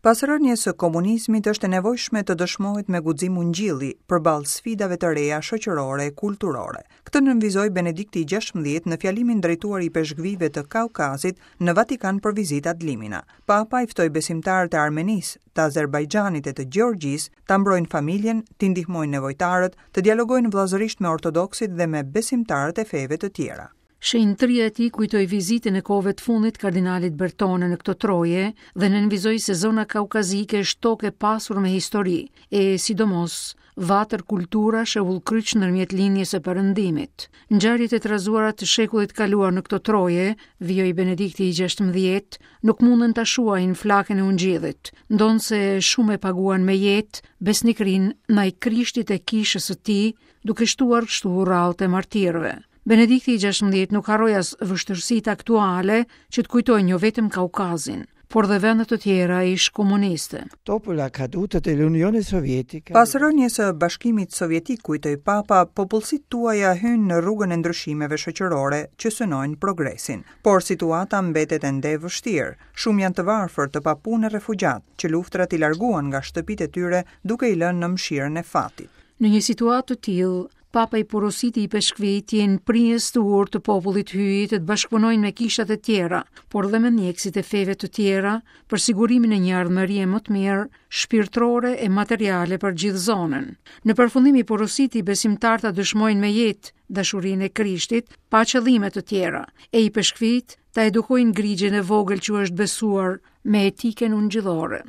Pas rënies së komunizmit është e nevojshme të dëshmohet me guxim ungjilli përballë sfidave të reja shoqërore e kulturore. Këtë nënvizoi Benedikti i XVI në fjalimin drejtuar ipeshkvijve të Kaukazit në Vatikan për vizitë ad limina. Papa i ftoi besimtarët e Armenisë, të Azerbajxhanit e të Gjeorgjisë ta mbrojnë familjen, t'i ndihmojnë nevojtarët, të dialogojnë vëllazërisht me ortodoksit dhe me besimtarët e feve të tjera. Shenjtëria e tij kujtoi vizitën e kohëve të fundit kardinalit Bertone në këto troje dhe nënvizoi se zona kaukazike është tokë e pasur me histori, e sidomos vatër kulturash e udhëkryq ndërmjet lindjes e perëndimit. Ngjarjet e trazuara të shekullit të kaluar në këto troje, vijoi Benedikti i XVI, nuk mundën ta shuajnë flakën e ungjillit, ndonëse shumë e paguan me jetë besnikërinë ndaj Krishtit e kishës së tij, duke shtuar kështu radhët e martirëve. Benedikti i XVI nuk harroi as vështirësitë aktuale që të kujtojnë jo vetëm Kaukazin, por dhe vende të tjera ish komuniste. Dopo la caduta dell'Unione Sovietica. Pas rënies së Bashkimit Sovjetik, kujtoi Papa, popullsitë tuaja hynë në rrugën e ndryshimeve shoqërore që synojnë progresin. Por situata mbetet ende e vështirë. Shumë janë të varfër, të papunë e refugjatë, që luftërat i larguan nga shtëpitë e tyre duke i lënë në mëshirën e fatit. Në një situatë të tillë, Papa i porositi ipeshkvijtë të jenë prijës të urtë të popullit të Hyjit e të bashkëpunojnë me kishat e tjera, por dhe me ndjekësit e feve të tjera për sigurimin e një ardhmërie më të mirë shpirtërore e materiale për gjithë zonën. Në përfundim i porositi besimtarët ta dëshmojnë me jetë dashurinë e Krishtit pa qëllime të tjera, e ipeshkvijtë ta edukojnë grigjën e vogël që u është besuar me etikën ungjillore.